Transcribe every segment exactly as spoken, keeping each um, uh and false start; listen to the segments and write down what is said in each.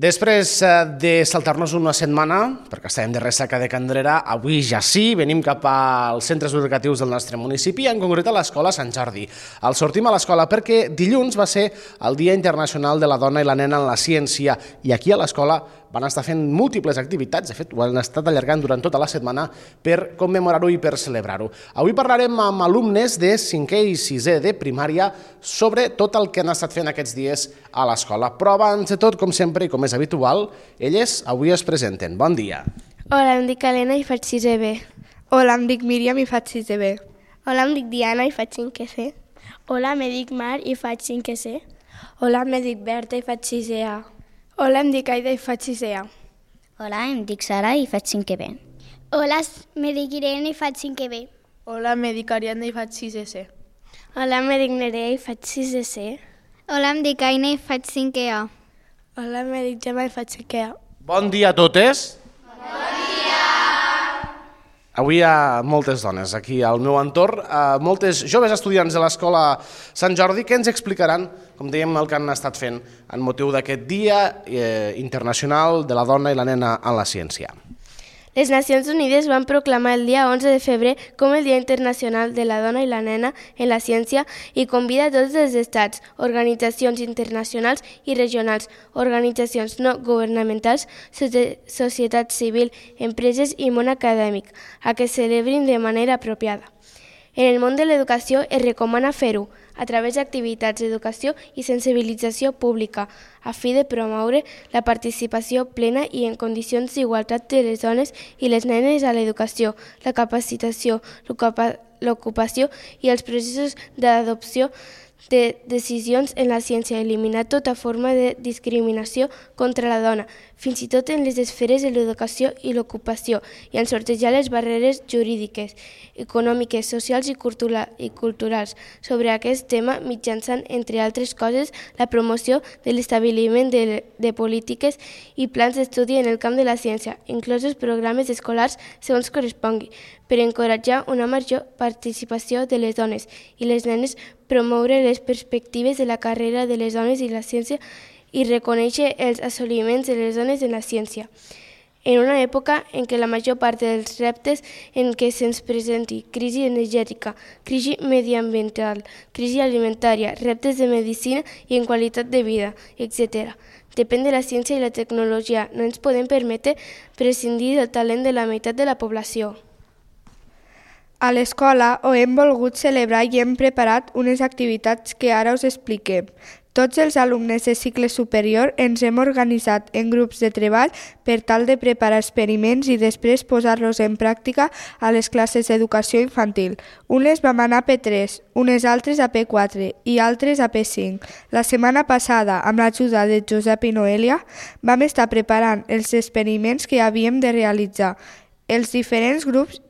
Després de saltar-nos una setmana, perquè estàvem de ressaca de Candrera, avui ja sí, venim cap als centres educatius del nostre municipi, en concret a l'Escola Sant Jordi. El sortim a l'escola perquè dilluns va ser el Dia Internacional de la Dona i la Nena en la Ciència i aquí a l'escola van estar fent múltiples activitats, de fet ho han estat allargant durant tota la setmana per commemorar-ho i per celebrar-ho. Avui parlarem amb alumnes de cinquè i sisè de primària sobre tot el que han estat fent aquests dies a l'escola. Però abans de tot, com sempre i com és habitual, elles avui es presenten. Bon dia. Hola, em dic Helena i faig sisè B. Hola, em dic Míriam i faig sisè B. Hola, em dic Diana i faig cinquè C. Hola, me dic Mar i faig cinquè C. Hola, me dic Berta i faig sisè A. Hola, em dic Aida i faig sisè A. Hola, em dic Sara i faig cinquè B. Hola, me dic Irene i faig cinquè B. Hola, me dic Ariadna i faig sisè C. Hola, me dic Nerea i faig sisè C. Hola, em dic Aina i faig cinquè A. Hola, me dic Gemma i faig cinquè A. Bon dia a totes. Bon dia. Avui hi ha moltes dones aquí al meu entorn, moltes joves estudiants de l'Escola Sant Jordi que ens explicaran, com dèiem, el que han estat fent en motiu d'aquest Dia Internacional de la Dona i la Nena en la Ciència. Les Nacions Unides van proclamar el dia onze de febrer com el Dia Internacional de la Dona i la Nena en la Ciència i convida a tots els estats, organitzacions internacionals i regionals, organitzacions no governamentals, societat civil, empreses i món acadèmic a que celebrin de manera apropiada. En el món de l'educació es recomana fer-ho a través d'activitats d'educació i sensibilització pública a fi de promoure la participació plena i en condicions d'igualtat de les dones i les nenes a l'educació, la capacitació, l'ocupació i els processos d'adopció de decisions en la ciència, eliminar tota forma de discriminació contra la dona, fins i tot en les esferes de l'educació i l'ocupació, i en sortejar les barreres jurídiques, econòmiques, socials i culturals sobre aquest tema mitjançant, entre altres coses, la promoció de l'establiment de, de polítiques i plans d'estudi en el camp de la ciència, inclosos programes escolars segons correspongui, per encoratjar una major participació de les dones i les nenes, promoure les perspectives de la carrera de les dones i la ciència i reconèixer els assoliments de les dones en la ciència. En una època en què la major part dels reptes en què se'ns presenti, crisi energètica, crisi mediambiental, crisi alimentària, reptes de medicina i en qualitat de vida, etcètera, depèn de la ciència i la tecnologia. No ens podem permetre prescindir del talent de la meitat de la població. A l'escola ho hem volgut celebrar i hem preparat unes activitats que ara us expliquem. Tots els alumnes de cicle superior ens hem organitzat en grups de treball per tal de preparar experiments i després posar-los en pràctica a les classes d'educació infantil. Unes vam anar a P tres, unes altres a P quatre i altres a P cinc. La setmana passada, amb l'ajuda de Josep i Noelia, vam estar preparant els experiments que havíem de realitzar. Els diferents grups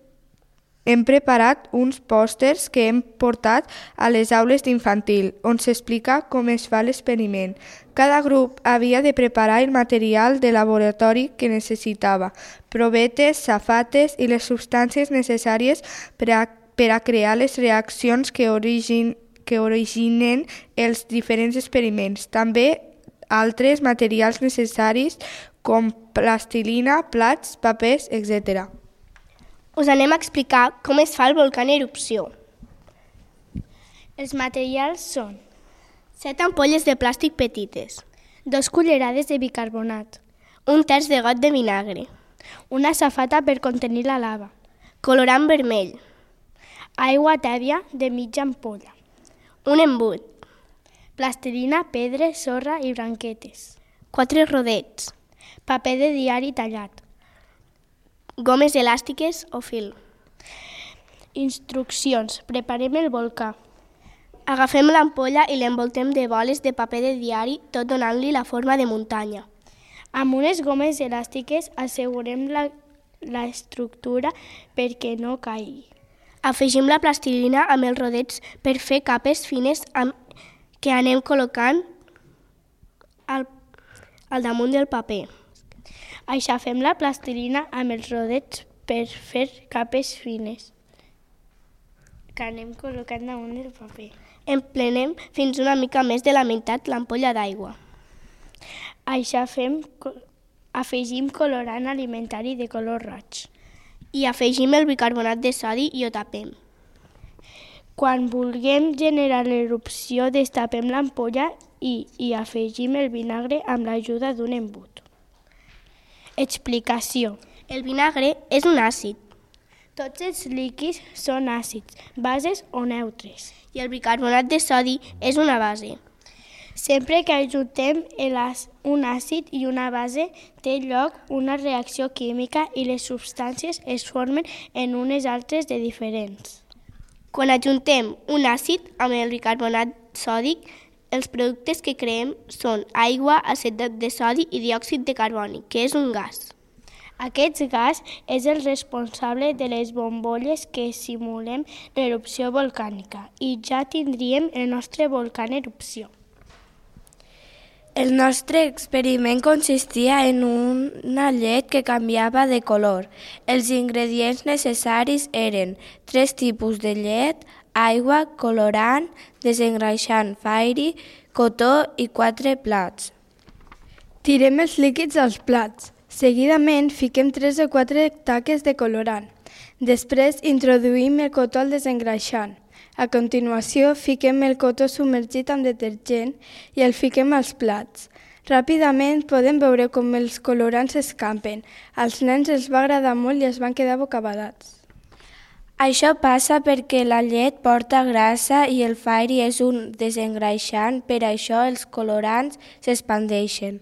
hem preparat uns pòsters que hem portat a les aules d'infantil, on s'explica com es fa l'experiment. Cada grup havia de preparar el material de laboratori que necessitava, provetes, safates i les substàncies necessàries per a, per a crear les reaccions que, origin, que originen els diferents experiments. També altres materials necessaris com plastilina, plats, papers, etcètera. Us anem a explicar com es fa el volcà en erupció. Els materials són set ampolles de plàstic petites, dos cullerades de bicarbonat, un terç de got de vinagre, una safata per contenir la lava, colorant vermell, aigua tèbia de mitja ampolla, un embut, plastilina, pedra, sorra i branquetes, quatre rodets, paper de diari tallat, gomes elàstiques o fil. Instruccions. Preparem el volcà. Agafem l'ampolla i l'envoltem de boles de paper de diari, tot donant-li la forma de muntanya. Amb unes gomes elàstiques assegurem la, la estructura perquè no caigui. Afegim la plastilina amb els rodets per fer capes fines amb, que anem col·locant al, al damunt del paper. Aixafem la plastilina amb els rodets per fer capes fines que anem col·locant damunt del paper. Emplenem fins una mica més de la meitat l'ampolla d'aigua. Aixafem, afegim colorant alimentari de color roig. I afegim el bicarbonat de sodi i ho tapem. Quan vulguem generar l'erupció, destapem l'ampolla i hi afegim el vinagre amb l'ajuda d'un embut. Explicació. El vinagre és un àcid. Tots els líquids són àcids, bases o neutres. I el bicarbonat de sodi és una base. Sempre que ajuntem un àcid i una base, té lloc una reacció química i les substàncies es formen en unes altres de diferents. Quan ajuntem un àcid amb el bicarbonat sòdic, els productes que creem són aigua, acetat de sodi i diòxid de carboni, que és un gas. Aquest gas és el responsable de les bombolles que simulem l'erupció volcànica i ja tindríem el nostre volcà en erupció. El nostre experiment consistia en una llet que canviava de color. Els ingredients necessaris eren tres tipus de llet, aigua, colorant, desengreixant Fairy, cotó i quatre plats. Tirem els líquids als plats. Seguidament fiquem tres o quatre taques de colorant. Després introduïm el cotó al desengreixant. A continuació fiquem el cotó submergit amb detergent i el fiquem als plats. Ràpidament podem veure com els colorants s'escampen. Als nens els va agradar molt i es van quedar bocabadats. Això passa perquè la llet porta grassa i el Fairy és un desengreixant, per això els colorants s'expandeixen.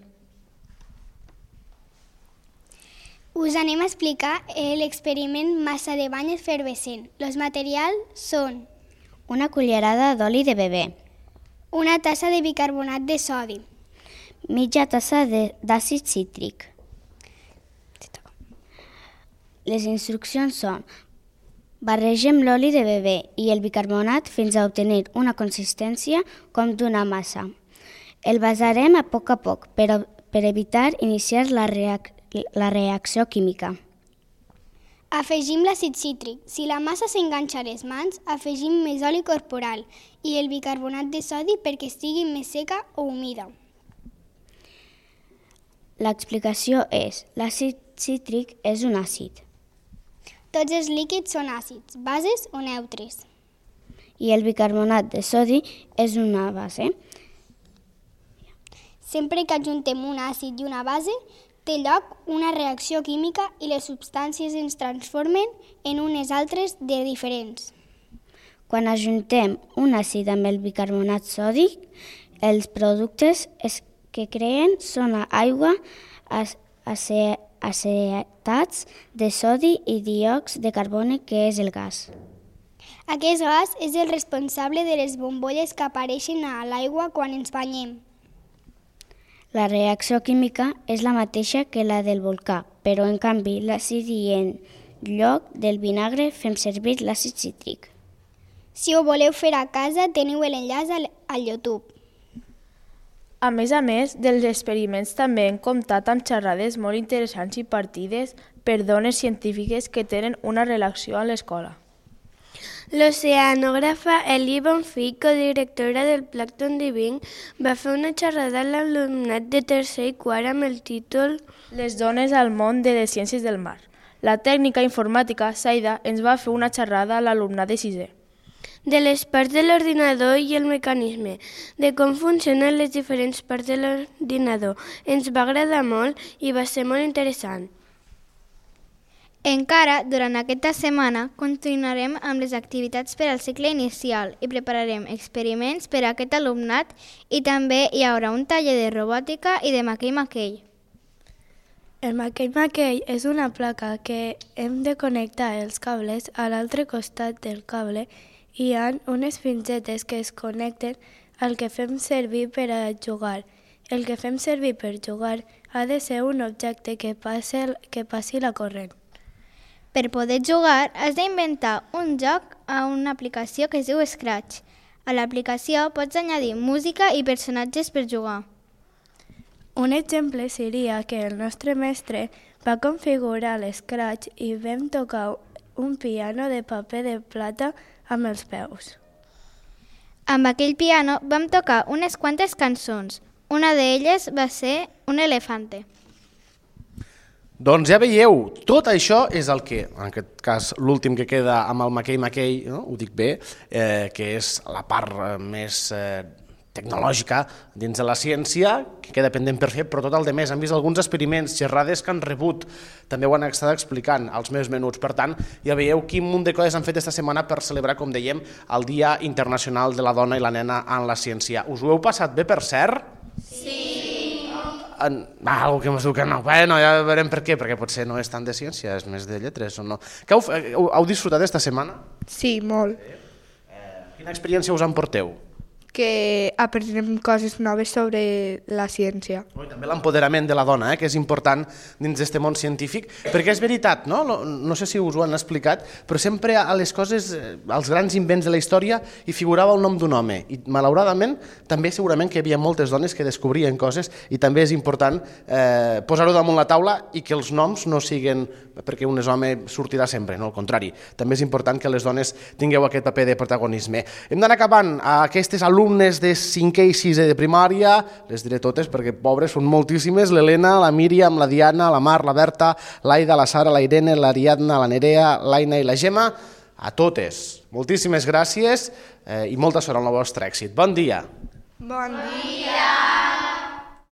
Us anem a explicar l'experiment massa de bany efervescent. Els materials són una cullerada d'oli de bebè, una tassa de bicarbonat de sodi, mitja tassa d'àcid cítric. Les instruccions són: barregem l'oli de bebè i el bicarbonat fins a obtenir una consistència com d'una massa. El basarem a poc a poc per, per evitar iniciar la, reac la reacció química. Afegim l'àcid cítric. Si la massa s'enganxa a les mans, afegim més oli corporal i el bicarbonat de sodi perquè estigui més seca o humida. L'explicació és: l'àcid cítric és un àcid. Tots els líquids són àcids, bases o neutres. I el bicarbonat de sodi és una base. Sempre que ajuntem un àcid i una base, té lloc una reacció química i les substàncies ens transformen en unes altres de diferents. Quan ajuntem un àcid amb el bicarbonat sòdic, els productes que creen són aigua, acetats de sodi i diòxid de carboni, que és el gas. Aquest gas és el responsable de les bombolles que apareixen a l'aigua quan ens banyem. La reacció química és la mateixa que la del volcà, però en canvi l'àcid i en lloc del vinagre fem servir l'àcid cítric. Si ho voleu fer a casa, teniu l'enllaç al, al YouTube. A més a més dels experiments també hem comptat amb xerrades molt interessants i partides per dones científiques que tenen una relació amb l'escola. L'oceanògrafa Elie Bonfil, codirectora del Plàncton Diving, va fer una xerrada a l'alumnat de tercer i quart amb el títol Les dones al món de les ciències del mar. La tècnica informàtica, Saida, ens va fer una xerrada a l'alumnat de sisè. De les parts de l'ordinador i el mecanisme, de com funcionen les diferents parts de l'ordinador. Ens va agradar molt i va ser molt interessant. Encara, durant aquesta setmana, continuarem amb les activitats per al cicle inicial i prepararem experiments per a aquest alumnat i també hi haurà un taller de robòtica i de maquell-maquell. El maquell-maquell és una placa que hem de connectar els cables a l'altre costat del cable i hi ha unes pincetes que es connecten al que fem servir per a jugar. El que fem servir per jugar ha de ser un objecte que passi, que passi la corrent. Per poder jugar, has d'inventar un joc a una aplicació que es diu Scratch. A l'aplicació pots añadir música i personatges per jugar. Un exemple seria que el nostre mestre va configurar l'Scratch i vam tocar un piano de paper de plata amb els peus. Amb aquell piano vam tocar unes quantes cançons. Una d'elles va ser un elefante. Doncs ja veieu, tot això és el que, en aquest cas l'últim que queda amb el Mackay Mackay, no? Ho dic bé, eh, que és la part eh, més eh, tecnològica dins de la ciència, que queda pendent per fer, però tot el de més. Han vist alguns experiments, xerrades que han rebut, també ho han estat explicant als meus menuts. Per tant, ja veieu quin munt de coses han fet esta setmana per celebrar, com dèiem, el Dia Internacional de la Dona i la Nena en la Ciència. Us ho heu passat bé, per cert? Sí! En, ah, algú que m'ho diu que no, bueno, ja veurem per què, perquè potser no és tant de ciència, és més de lletres o no. Que heu, heu, heu disfrutat esta setmana? Sí, molt. Eh, quina experiència us emporteu? Que aprenem coses noves sobre la ciència. Oh, també l'empoderament de la dona, eh, que és important dins d'aquest món científic, perquè és veritat, no? no? No sé si us ho han explicat, però sempre a les coses, als grans invents de la història, hi figurava el nom d'un home. I malauradament, també segurament que hi havia moltes dones que descobrien coses i també és important eh, posar-ho damunt la taula i que els noms no siguin perquè un és home sortirà sempre, no? Al contrari. També és important que les dones tingueu aquest paper de protagonisme. Hem d'anar acabant. Aquestes alumnes de cinquè i sisè de primària, les diré totes perquè pobres són moltíssimes, l'Helena, la Míriam, la Diana, la Mar, la Berta, l'Aida, la Sara, la Irene, l'Ariadna, la Nerea, l'Aina i la Gemma, a totes. Moltíssimes gràcies eh, i molta sort al vostre èxit. Bon dia. Bon dia.